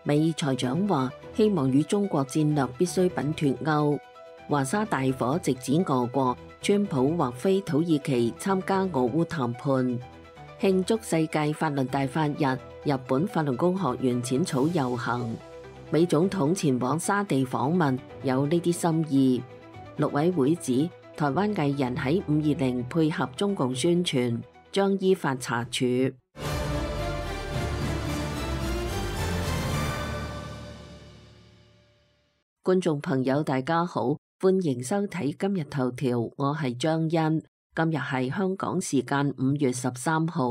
美財長話希望與中國戰略必需品脫鈎。華沙大火直指俄國，川普或飛土耳其參加俄烏談判。慶祝世界法律大法日，日本法輪功學員淺草遊行。美總統前往沙地訪問，有呢啲心意。陸委會指台灣藝人喺520配合中共宣傳，將依法查處。觀眾朋友大家好，歡迎收睇今日頭條，我係張欣。今日係香港時間5月13號。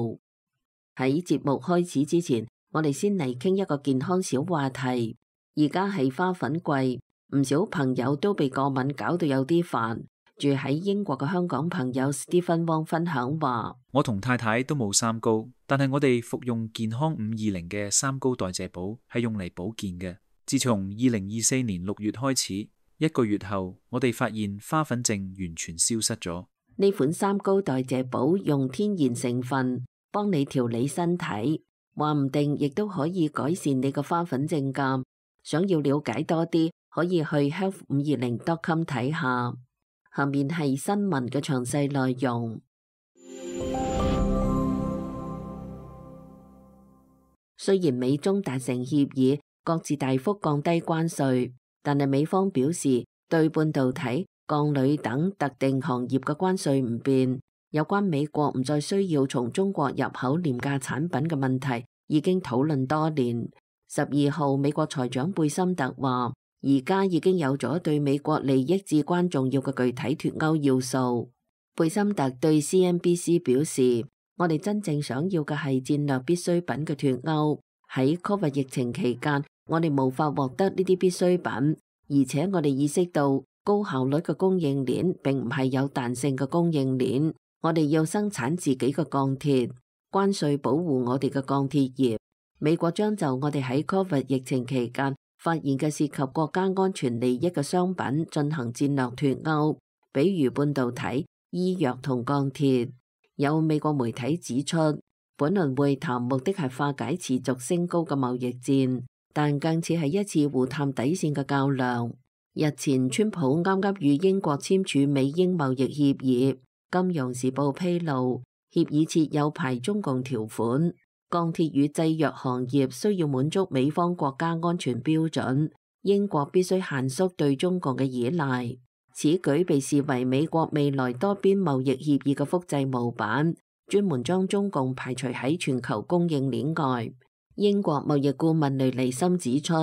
喺節目開始之前，我哋先嚟傾一個健康小話題。而家係花粉季，唔少朋友都被過敏搞到有啲煩。住喺英國嘅香港朋友 Stephen Wong 分享話：我同太太都冇三高，但係我哋服用健康520嘅三高代謝寶係用嚟保健嘅。自從2024年6月開始，1個月後，我哋發現花粉症完全消失咗。呢款三高代謝寶用天然成分幫你調理身體，話唔定亦都可以改善你嘅花粉症㗎。想要了解多啲，可以去 health520.com 睇下。下面係新聞嘅詳細內容。雖然美中達成協議，各自大幅降低關稅，但係美方表示對半導體、鋼鋁等特定行業嘅關稅唔變。有關美國唔再需要從中國入口廉價產品嘅問題，已經討論多年。12號，美國財長貝森特話，而家已經有咗對美國利益至關重要嘅具體脫鈎要素。貝森特對 CNBC 表示，我哋真正想要嘅係戰略必需品嘅脫鈎。喺 COVID 疫情期間，我哋無法獲得呢啲必需品，而且我哋意識到高效率嘅供應鏈並唔係有彈性嘅供應鏈。我哋要生產自己嘅鋼鐵，關稅保護我哋嘅鋼鐵業。美國將就我哋喺 COVID 疫情期間發現嘅涉及國家安全利益嘅商品進行戰略脫鈎，比如半導體、醫藥同鋼鐵。有美國媒體指出，本輪會談目的係化解持續升高嘅貿易戰，但更似係一次互探底線嘅較量。日前，川普啱啱與英國簽署美英貿易協議，金融時報披露，協議設有排中共條款。鋼鐵與製藥行業需要滿足美方國家安全標準，英國必須限縮對中共嘅依賴。此舉被視為美國未來多邊貿易協議嘅複製模板，專門將中共排除喺全球供應鏈外。英國貿易顧問雷尼森指出，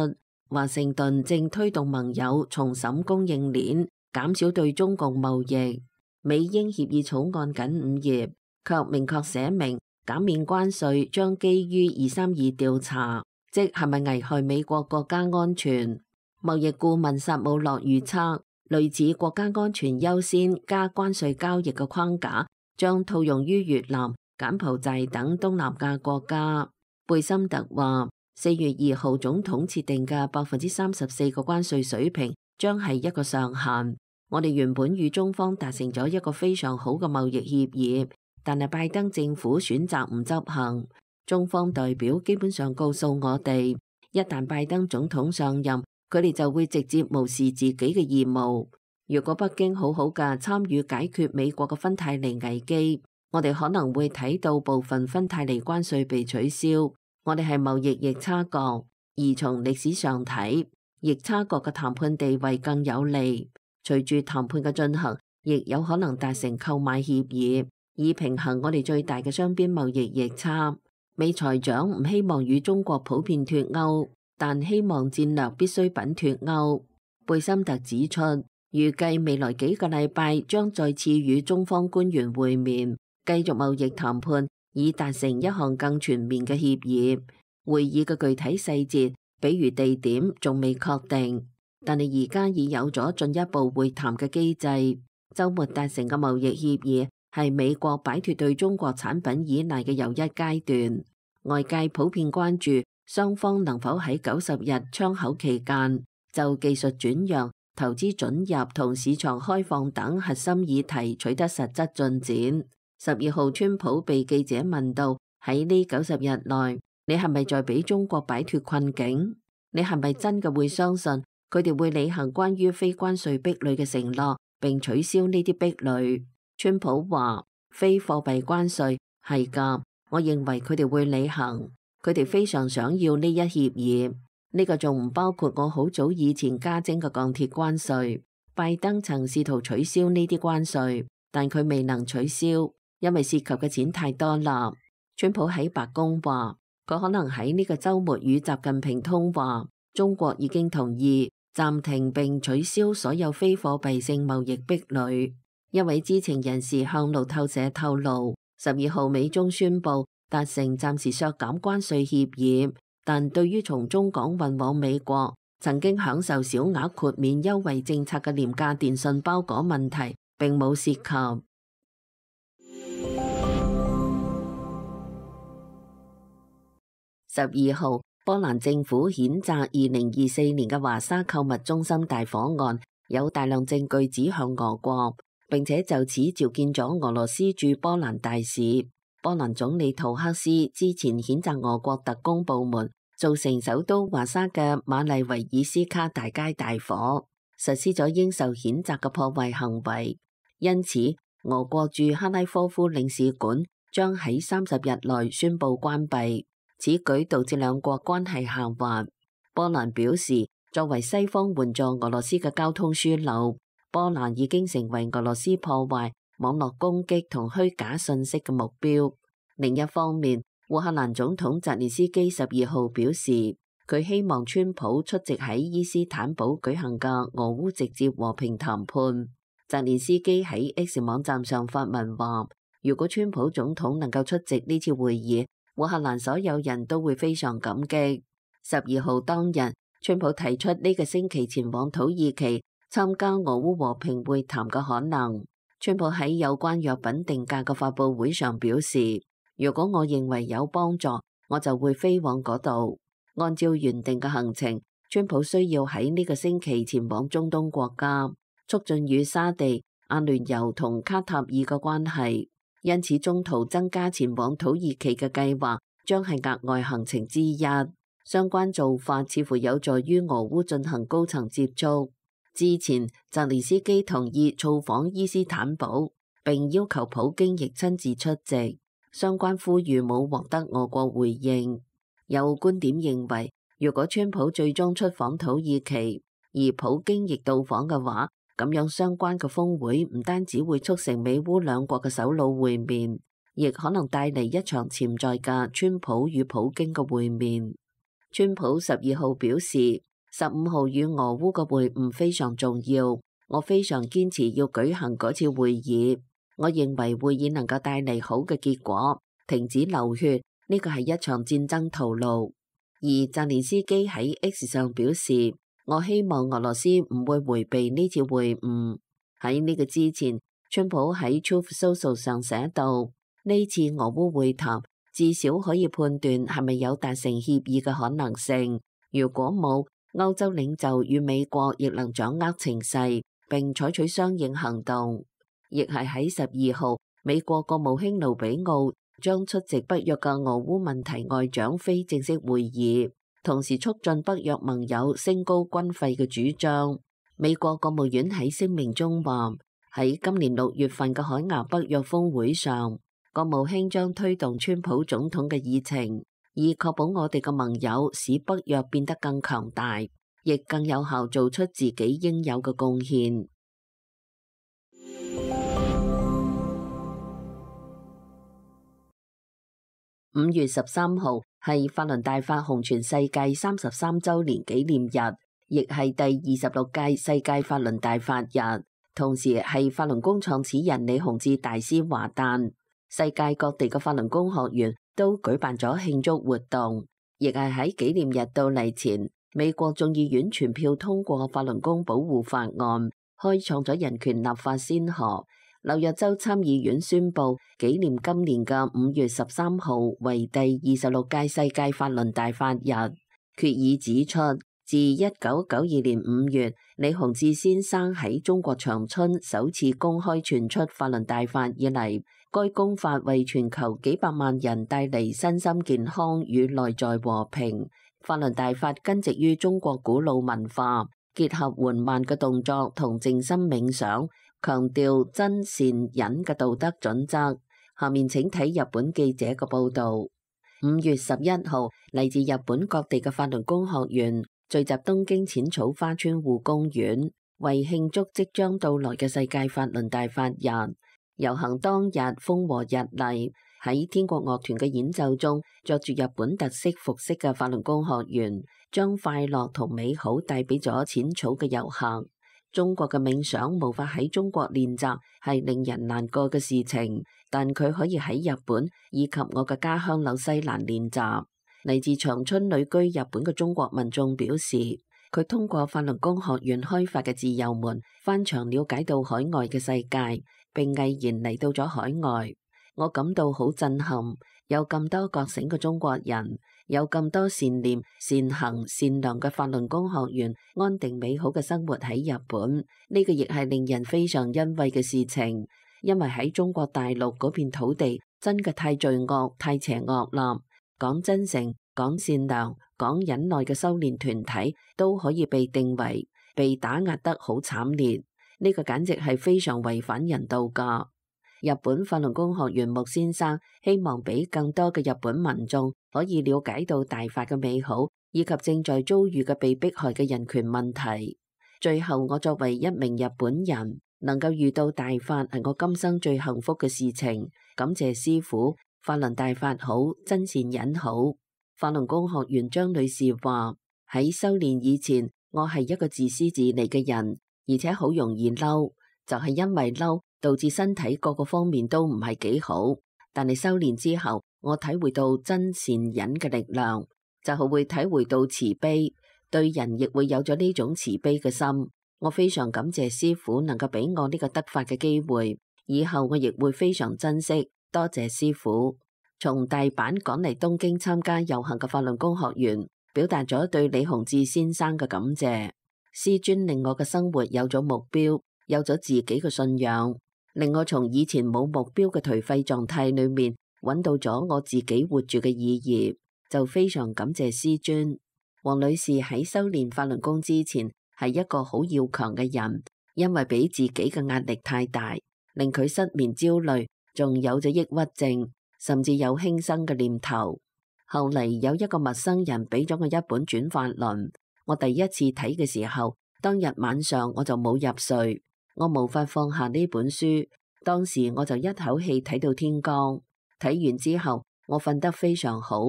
華盛頓正推動盟友重審供應鏈，減少對中共貿易。美英協議草案僅5頁，卻明確寫明減免關稅將基於232調查，即係咪危害美國國家安全。貿易顧問薩姆洛預測，類似國家安全優先加關稅交易嘅框架將套用於越南、柬埔寨等東南亞國家。貝森特話，4月2號總統設定嘅34%嘅關稅水平將係一個上限。我哋原本與中方達成咗一個非常好嘅貿易協議，但係拜登政府選擇唔執行。中方代表基本上告訴我哋，一旦拜登總統上任，佢哋就會直接無視自己嘅義務。如果北京好好嘅參與解決美國嘅芬太尼危機，我哋可能會睇到部分芬太尼關稅被取消。我哋係貿易逆差國，而從歷史上睇，逆差國嘅談判地位更有利。隨住談判嘅進行，亦有可能達成購買協議，以平衡我哋最大嘅雙邊貿易逆差。美財長唔希望與中國普遍脫鈎，但希望戰略必需品脫鈎。貝森特指出，預計未來幾個禮拜將再次與中方官員會面，繼續貿易談判，以達成一項更全面嘅協議。會議嘅具體細節，比如地點，仲未確定。但係而家已有咗進一步會談嘅機制。週末達成嘅貿易協議係美國擺脫對中國產品依賴嘅又一階段。外界普遍關注雙方能否喺90日窗口期間就技術轉讓、投資准入同市場開放等核心議題取得實質進展。12號，川普被記者問到喺呢90日內，你係咪在俾中國擺脫困境？你係咪真嘅會相信佢哋會履行關於非關稅壁壘嘅承諾，並取消呢啲壁壘？川普話非貨幣關稅係㗎，我認為佢哋會履行，佢哋非常想要呢一協議。呢個仲唔包括我好早以前加徵嘅鋼鐵關稅。拜登曾試圖取消呢啲關稅，但佢未能取消，因為涉及嘅錢太多啦。川普喺白宮話，佢可能喺呢個週末與習近平通話。中國已經同意暫停並取消所有非貨幣性貿易壁壘。一位知情人士向路透社透露，12號美中宣布達成暫時削減關稅協議，但對於從中港運往美國曾經享受小額豁免優惠政策嘅廉價電信包裹問題並冇涉及。12號，波蘭政府譴責2024年嘅華沙購物中心大火案有大量證據指向俄國，並且就此召見咗俄羅斯駐波蘭大使。波蘭總理圖克斯之前譴責俄國特工部門造成首都華沙嘅馬麗維爾斯卡大街大火，實施咗應受譴責嘅破壞行為。因此，俄國駐哈拉科夫領事館將喺30日內宣布關閉。此舉導致兩國關係下滑。波蘭表示，作為西方援助俄羅斯嘅交通樞紐，波蘭已經成為俄羅斯破壞、網絡攻擊同虛假信息嘅目標。另一方面，烏克蘭總統澤連斯基12號表示，佢希望川普出席喺伊斯坦堡舉行嘅俄烏直接和平談判。澤連斯基喺 X 網站上發文話，如果川普總統能夠出席呢次會議，烏克蘭所有人都會非常感激。12號當日，川普提出呢個星期前往土耳其參加俄烏和平會談嘅可能。川普喺有關藥品定價嘅發佈會上表示，如果我認為有幫助，我就會飛往嗰度。按照原定嘅行程，川普需要喺呢個星期前往中東國家，促進與沙地、阿聯酋同卡塔爾嘅關係。因此，中途增加前往土耳其嘅計劃將係額外行程之一。相關做法似乎有助於俄烏進行高層接觸。之前，澤連斯基同意造訪伊斯坦堡，並要求普京亦親自出席。相關呼籲冇獲得俄國回應。有觀點認為，如果川普最終出訪土耳其，而普京亦到訪嘅話，咁樣相關嘅峰會唔單止會促成美烏兩國嘅首腦會面，亦可能帶嚟一場潛在嘅川普與普京嘅會面。川普12號表示，15號與俄烏嘅會晤非常重要，我非常堅持要舉行嗰次會議。我認為會議能夠帶嚟好嘅結果，停止流血，呢個係一場戰爭徒勞。而澤連斯基喺 X 上表示，我希望俄羅斯唔會迴避呢次會晤。喺呢個之前，川普喺 Truth Social 上寫道，呢次俄烏會談至少可以判斷係咪有達成協議嘅可能性。如果冇，歐洲領袖與美國亦能掌握情勢並採取相應行動。亦係喺12號，美國國務卿盧比奧將出席北約嘅俄烏問題外長非正式會議，同時促進北約盟友升高軍費嘅主張。美國國務院喺聲明中話，喺今年6月份嘅海牙北約峰會上，國務卿將推動川普總統嘅議程，以確保我哋嘅盟友使北約變得更強大，亦更有效做出自己應有嘅貢獻。5月13號係法輪大法紅傳世界33週年紀念日，亦係第26屆世界法輪大法日，同時係法輪功創始人李洪志大師華誕。世界各地嘅法輪功學員都舉辦咗慶祝活動，亦係喺紀念日到嚟前，美國眾議院全票通過法輪功保護法案，開創咗人權立法先河。紐約州參議院宣布紀念今年嘅5月13號為第26屆世界法輪大法日。決議指出，自1992年5月李洪志先生喺中國長春首次公開傳出法輪大法以嚟，該公法為全球幾百萬人帶嚟身心健康與內在和平，法輪大法根植於中國古老文化，結合緩慢嘅動作同靜心冥想，強調真善忍嘅道德準則。下面請睇日本記者嘅報道。5月11號，嚟自日本各地嘅法輪功學員聚集東京淺草花川戶公園，為慶祝即將到來嘅世界法輪大法日。遊行當日風和日麗，喺天國樂團嘅演奏中，着住日本特色服飾嘅法輪功學員將快樂同美好帶俾咗淺草嘅遊客。中國嘅冥想無法喺中國練習，係令人難過嘅事情，但佢可以喺日本以及我嘅家鄉紐西蘭練習。嚟自長春旅居日本嘅中國民眾表示，佢通過法輪功學院開發嘅自由門，翻牆了解到海外嘅世界，並毅然嚟到咗海外。我感到好震撼，有咁多覺醒嘅中國人，有咁多善念、善行、善良嘅法輪功學員，安定美好嘅生活喺日本。呢個亦係令人非常欣慰嘅事情，因為喺中國大陸嗰片土地真嘅太罪惡、太邪惡啦。講真誠、講善良、講忍耐嘅修煉團體都可以被定為被打壓得好慘烈，呢個簡直係非常違反人道噶。日本法輪功學員木先生希望俾更多嘅日本民眾可以了解到大法嘅美好，以及正在遭遇嘅被迫害嘅人權問題。最後，我作為一名日本人，能夠遇到大法係我今生最幸福嘅事情。感謝師父，法輪大法好，真善忍好。法輪功學員張女士話：喺修煉以前，我係一個自私自利嘅人，而且好容易嬲，就係因為嬲，導致身體各個方面都唔係幾好。但係修煉之後，我體會到真善忍嘅力量，就係會體會到慈悲，對人亦會有咗呢種慈悲嘅心。我非常感謝師父能夠俾我呢個得法嘅機會，以後我亦會非常珍惜。多謝師父。從大阪趕嚟東京參加遊行嘅法輪功學員表達咗對李洪志先生嘅感謝。師尊令我嘅生活有咗目標，有咗自己嘅信仰，令我從以前冇目標嘅頹廢狀態裏面揾到咗我自己活住嘅意義，就非常感謝師尊。黃女士喺修煉法輪功之前係一個好要強嘅人，因為俾自己嘅壓力太大，令佢失眠焦慮，仲有咗抑鬱症，甚至有輕生嘅念頭。後嚟有一個陌生人俾咗我一本轉法輪，我第一次睇嘅時候，當日晚上我就冇入睡，我無法放下呢本書。當時我就一口氣睇到天光，睇完之後我瞓得非常好。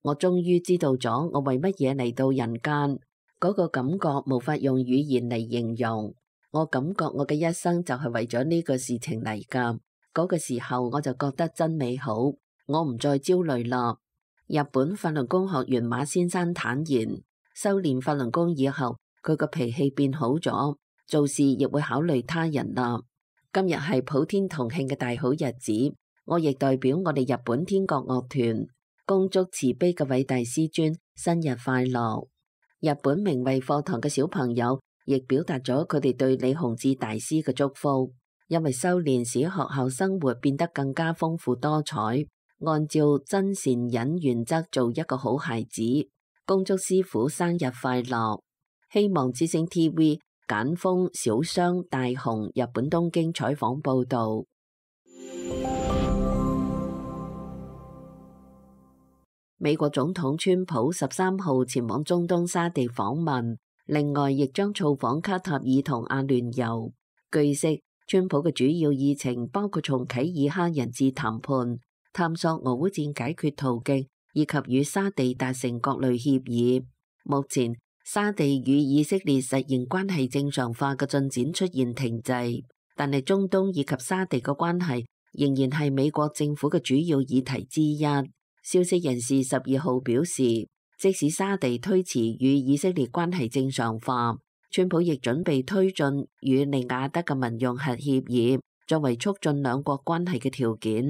我終於知道咗我為乜嘢嚟到人間，嗰個感覺無法用語言嚟形容。我感覺我嘅一生就係為咗呢個事情嚟㗎。嗰個時候我就覺得真美好，我唔再焦慮啦。日本法輪功學員馬先生坦言，修煉法輪功以後，佢個脾氣變好咗，做事亦會考慮他人啦。今日係普天同慶嘅大好日子，我亦代表我哋日本天國樂團恭祝慈悲嘅偉大師尊生日快樂。日本明慧課堂嘅小朋友亦表達咗佢哋對李洪志大師嘅祝福，因為修煉使學校生活變得更加豐富多彩，按照真善忍原則做一個好孩子。恭祝師父生日快樂。希望之聲 TV 簡豐小商大雄日本東京採訪報道。美國總統川普13號前往中東沙地訪問，另外亦將造訪卡塔爾同阿聯酋。據悉，川普嘅主要議程包括重啟以哈人質談判、探索俄烏戰解決途徑，以及與沙地達成各類協議。目前，沙地與以色列實現關係正常化嘅進展出現停滯，但係中東以及沙地嘅關係仍然係美國政府嘅主要議題之一。消息人士12號表示，即使沙地推遲與以色列關係正常化，川普亦準備推進與利雅得嘅民用核協議，作為促進兩國關係嘅條件。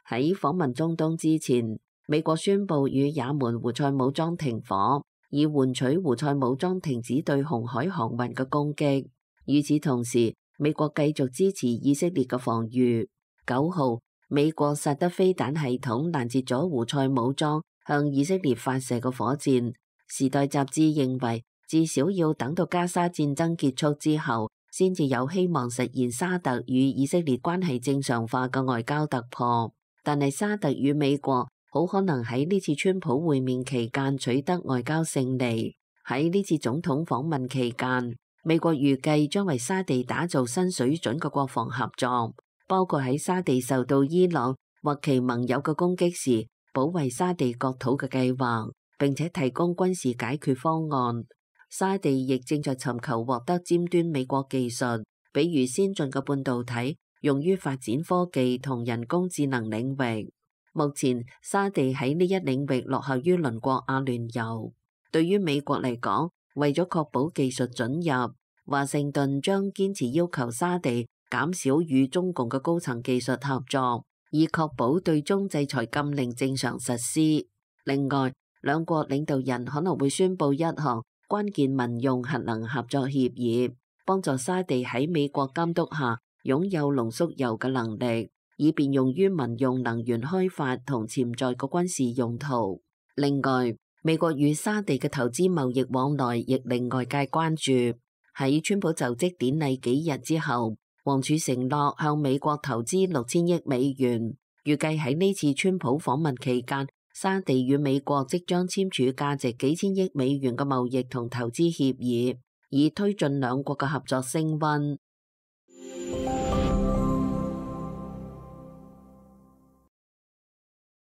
喺訪問中東之前，美國宣布與也門胡塞武裝停火，以換取胡塞武裝停止對紅海航運嘅攻擊。與此同時，美國繼續支持以色列嘅防禦。9號，美國薩德飛彈系統攔截咗胡塞武裝向以色列發射嘅火箭，時代雜誌認為，至少要等到加沙戰爭結束之後，先至有希望實現沙特與以色列關係正常化嘅外交突破。但係沙特與美國好可能喺呢次川普會面期間取得外交勝利。喺呢次總統訪問期間，美國預計將為沙地打造新水準嘅國防合作，包括喺沙地受到伊朗或其盟友嘅攻擊時，保衛沙地國土嘅計劃，並且提供軍事解決方案。沙地亦正在尋求獲得尖端美國技術，比如先進嘅半導體，用於發展科技同人工智能領域。目前，沙地喺呢一領域落後於鄰國阿聯酋。對於美國嚟講，為咗確保技術准入，華盛頓將堅持要求沙地減少與中共嘅高層技術合作，以確保對中制裁禁令正常實施。另外，兩國領導人可能會宣布一項關鍵民用核能合作協議，幫助沙地喺美國監督下擁有濃縮鈾嘅能力，以便用於民用能源開發同潛在嘅軍事用途。另外，美國與沙地嘅投資貿易往來亦令外界關注。喺川普就職典禮幾日之後，王儲承諾向美國投資6000億美元，預計喺呢次川普訪問期間，沙地與美國即將簽署價值幾千億美元嘅貿易同投資協議，以推進兩國嘅合作升溫。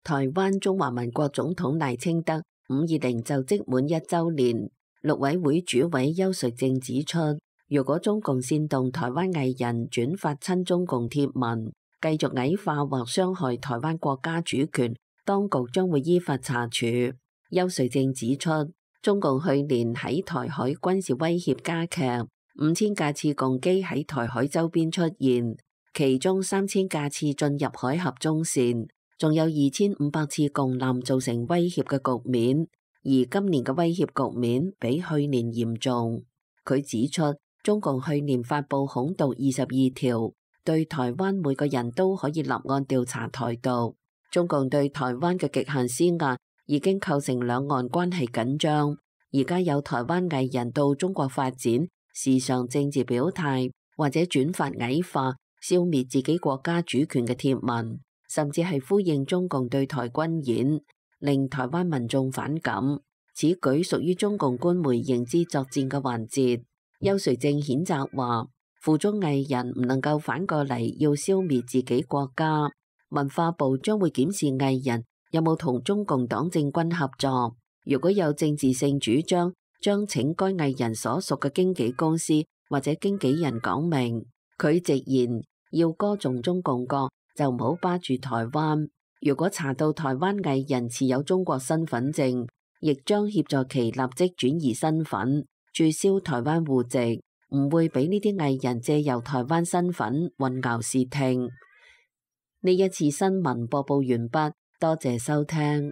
台灣中華民國總統賴清德520就職滿1週年，陸委會主委邱垂正指出，如果中共煽動台灣藝人轉發親中共貼文，繼續矮化或傷害台灣國家主權，當局將會依法查處。邱垂正指出，中共去年喺台海軍事威脅加劇，5000架次共機喺台海周邊出現，其中3000架次進入海峽中線，仲有2500次共艦造成威脅嘅局面，而今年嘅威脅局面比去年嚴重。佢指出，中共去年發布恐獨22條，對台灣每個人都可以立案調查台獨。中共對台灣嘅極限施壓已經構成兩岸關係緊張。而家有台灣藝人到中國發展，時常政治表態或者轉發矮化、消滅自己國家主權嘅貼文，甚至係呼應中共對台軍演，令台灣民眾反感。此舉屬於中共官媒認知作戰嘅環節。邱垂正譴責話，附中藝人唔能夠反過嚟要消滅自己國家。文化部將會檢視藝人有冇同中共黨政軍合作，如果有政治性主張，將請該藝人所屬嘅經紀公司或者經紀人講明。佢直言，要歌頌中共國就唔好巴住台灣。如果查到台灣藝人持有中國身份證，亦將協助其立即轉移身份，註銷台灣戶籍，唔會俾呢啲藝人借由台灣身份混淆視聽。呢一次新聞播報完畢，多謝收聽。